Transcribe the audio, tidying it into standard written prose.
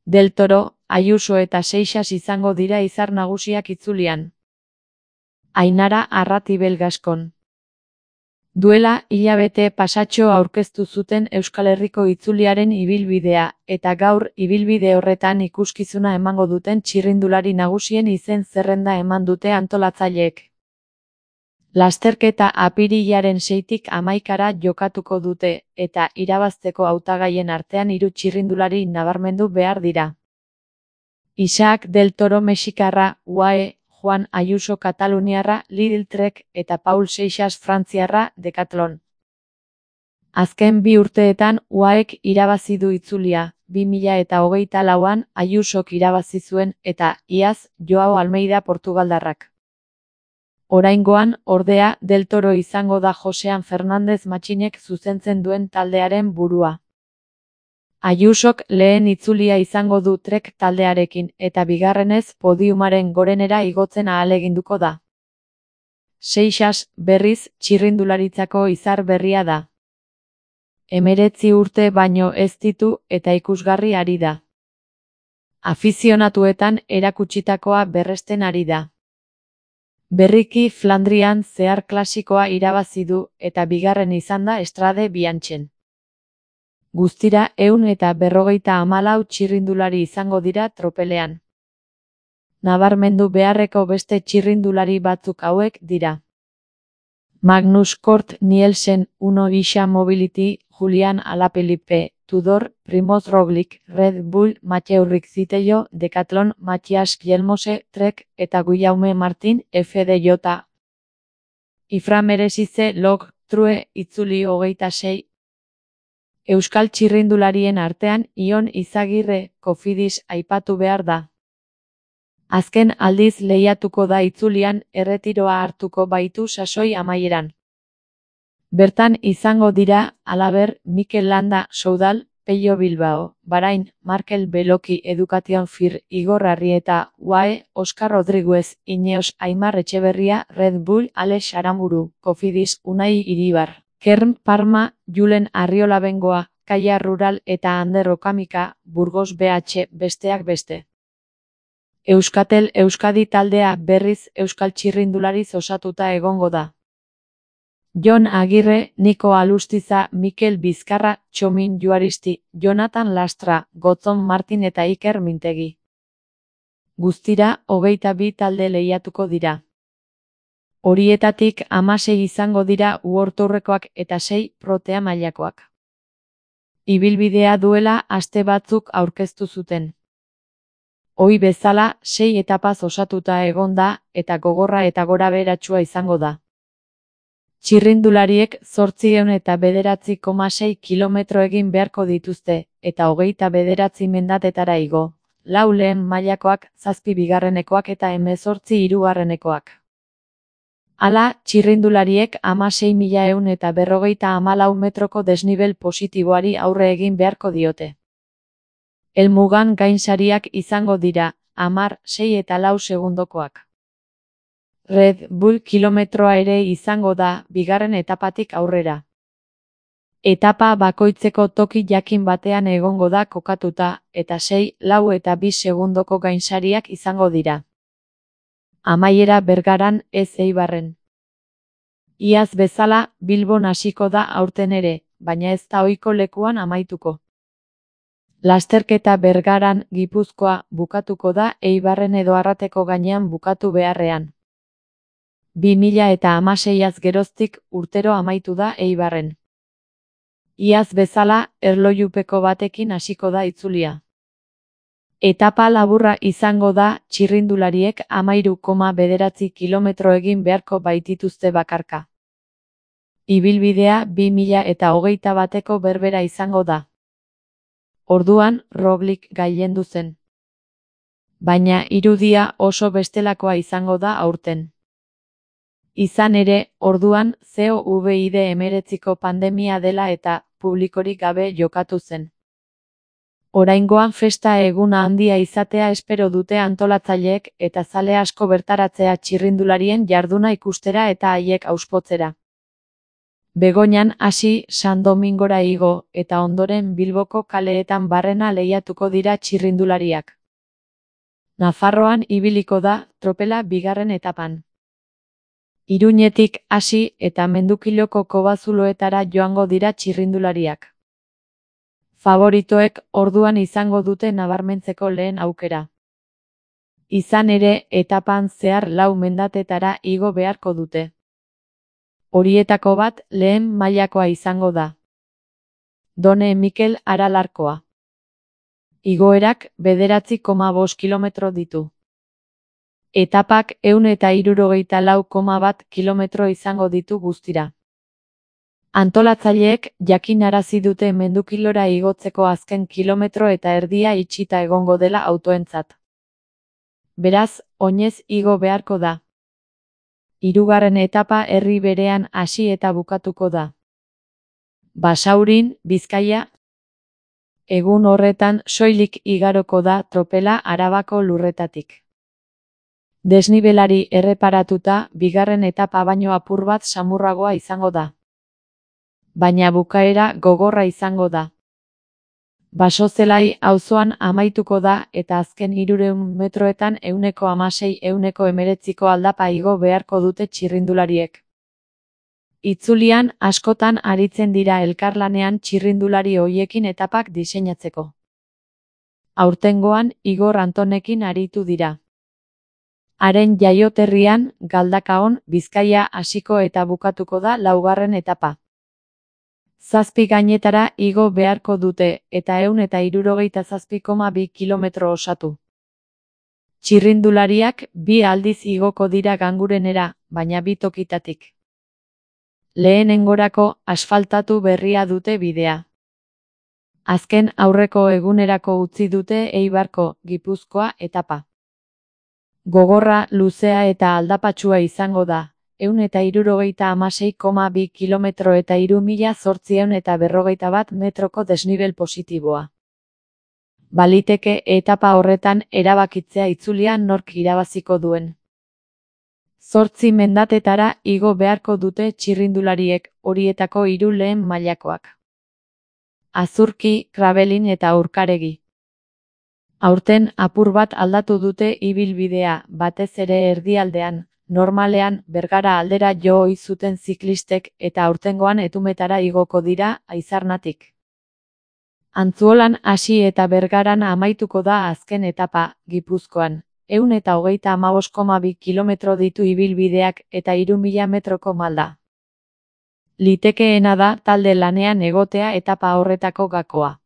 Del Toro, Ayuso eta Seixas izango dira izar nagusiak itzulian. Ainara Arratibel Gaskon. Duela hilabete pasatxo aurkeztu zuten Euskal Herriko itzuliaren ibilbidea, eta gaur ibilbide horretan ikuskizuna emango duten txirrindulari nagusien izen zerrenda eman dute antolatzaileek. Lasterketa apirilaren 6tik 11ra jokatuko dute, eta irabazteko hautagaien artean 3 txirrindulari nabarmendu behar dira. Isaac Del Toro mexikarra, UAE, Juan Ayuso kataluniarra, Lidl Trek, eta Paul Seixas frantziarra, Decathlon. Azken 2 urteetan UAEk irabazi du itzulia, 2024an Ayusok irabazi zuen, eta iaz Joao Almeida portugaldarrak. Oraingoan, ordea, Del Toro izango da Josean Fernandez Matxinek zuzentzen duen taldearen burua. Ayusok lehen itzulia izango du Trek taldearekin, eta bigarrenez podiumaren gorenera igotzen ahaleginduko da. Seixas, berriz, txirrindularitzako izar berria da. 19 urte baino ez ditu eta ikusgarri ari da. Afizionatuetan erakutsitakoa berresten ari da. Berriki Flandrian zehar klasikoa irabazi du eta bigarren izan da Estrade Bianchen. Guztira 154 txirrindulari izango dira tropelean. Nabarmendu beharreko beste txirrindulari batzuk hauek dira. Magnus Cort Nielsen, Uno Isha Mobility, Julian Alaphilippe, Tudor, Primoz Roglic, Red Bull, Mathieu Rixitello, Decathlon, Matthias Kjelmose, Trek, eta Guillaume Martin, FDJ. Ifra Merezize Log, True, itzuli 26. Euskal txirrindularien artean Ion Izagirre, Cofidis aipatu behar da. Azken aldiz lehiatuko da itzulian, erretiroa hartuko baitu sasoi amaieran. Bertan izango dira, halaber, Mikel Landa, Soudal, Pello Bilbao, Bahrain, Markel Beloki Education Fir, Igor Arrieta, UAE, Oscar Rodriguez, Ineos, Aimar Etxeberria, Red Bull, Alex Aramburu, Cofidis, Unai Iribar, Kern Parma, Julen Arriola Bengoa, Kaia Rural eta Ander Okamika, Burgos BH, besteak beste. Euskatel Euskadi taldea berriz euskal txirrindulariz osatuta egongo da. Jon Agirre, Niko Alustiza, Mikel Bizkarra, Txomin Juaristi, Jonathan Lastra, Gotzon Martin eta Iker Mintegi. Guztira, 22 talde lehiatuko dira. Horietatik 16 izango dira uortourrekoak eta 6 protea mailakoak. Ibilbidea duela aste batzuk aurkeztu zuten. Ohi bezala, 6 etapaz osatuta egon da, eta gogorra eta gorabeheratsua izango da. Txirrindulariek 809,6 kilometro egin beharko dituzte, eta 29 mendatetara igo, 4 lehen mailakoak, 7 bigarrenekoak eta 18 hirugarrenekoak. Hala, txirrindulariek 16.154 metroko desnibel positiboari aurre egin beharko diote. Helmugan gainsariak izango dira, 10, 6 eta 4 segundokoak. Red Bull kilometroa ere izango da, bigarren etapatik aurrera. Etapa bakoitzeko toki jakin batean egongo da kokatuta, eta 6, 4 eta 2 segundoko gainsariak izango dira. Amaiera Bergaran, ez Eibarren. Iaz bezala, Bilbon hasiko da aurten ere, baina ez da ohiko lekuan amaituko. Lasterketa Bergaran, Gipuzkoa, bukatuko da Eibarren edo Arrateko gainean bukatu beharrean. 2016az geroztik urtero amaitu da Eibarren. Iaz bezala, erlojupeko batekin hasiko da itzulia. Etapa laburra izango da, txirrindulariek 13,9 kilometro egin beharko baitituzte bakarka. Ibilbidea 2021eko berbera izango da. Orduan, Roglic gailendu zen. Baina irudia oso bestelakoa izango da aurten. Izan ere, orduan, COVID-19ko pandemia dela eta publikorik gabe jokatu zen. Oraingoan festa eguna handia izatea espero dute antolatzaileek eta zale asko bertaratzea txirrindularien jarduna ikustera eta haiek auspotzera. Begoñan hasi San Domingora igo eta ondoren Bilboko kaleetan barrena lehiatuko dira txirrindulariak. Nafarroan ibiliko da tropela bigarren etapan. Iruñetik hasi eta Mendukiloko kobazuloetara joango dira txirrindulariak. Favoritoek orduan izango dute nabarmentzeko lehen aukera. Izan ere, etapan zehar 4 mendatetara igo beharko dute. Horietako bat lehen mailakoa izango da. Done Mikel Aralarkoa. Igoerak 9,5 kilometro ditu. Etapak 164,1 kilometro izango ditu guztira. Antolatzaileek jakinarazi dute Mendukilora igotzeko azken kilometro eta erdia itxita egongo dela autoentzat. Beraz, oinez igo beharko da. 3. etapa herri berean hasi eta bukatuko da. Basaurin, Bizkaia. Egun horretan soilik igaroko da tropela Arabako lurretatik. Desnibelari erreparatuta, bigarren etapa baino apur bat samurragoa izango da. Baina bukaera gogorra izango da. Basozelai auzoan amaituko da eta azken 300 metroetan 116-119 aldapa igo beharko dute txirrindulariek. Itzulian askotan aritzen dira elkarlanean txirrindulari hoiekin etapak diseinatzeko. Aurtengoan Igor Antonekin aritu dira. Haren jaioterrian, Galdakaon, Bizkaia hasiko eta bukatuko da 4. etapa. 7 gainetara igo beharko dute eta 167,2 kilometro osatu. Txirrindulariak 2 aldiz igoko dira Gangurenera, baina 2 tokitatik. Lehenengorako asfaltatu berria dute bidea. Azken aurreko egunerako utzi dute Eibarko, Gipuzkoa etapa. Gogorra, luzea eta aldapatsua izango da. 176,2 kilometro eta 3.841 metroko desnibel positiboa. Baliteke etapa horretan erabakitzea itzulian nork irabaziko duen. 8 mendatetara igo beharko dute txirrindulariek, horietako 3 lehen mailakoak. Azurki, Krabelin eta Urkaregi. Aurten apur bat aldatu dute ibilbidea, batez ere erdialdean. Normalean, Bergara aldera jo ohi zuten ziklistek eta aurtengoan Etumetara igoko dira Aizarnatik. Antzuolan hasi eta Bergaran amaituko da azken etapa, Gipuzkoan. 135,2 kilometro ditu ibilbideak eta 3.000 metroko malda. Litekeena da talde lanean egotea etapa horretako gakoa.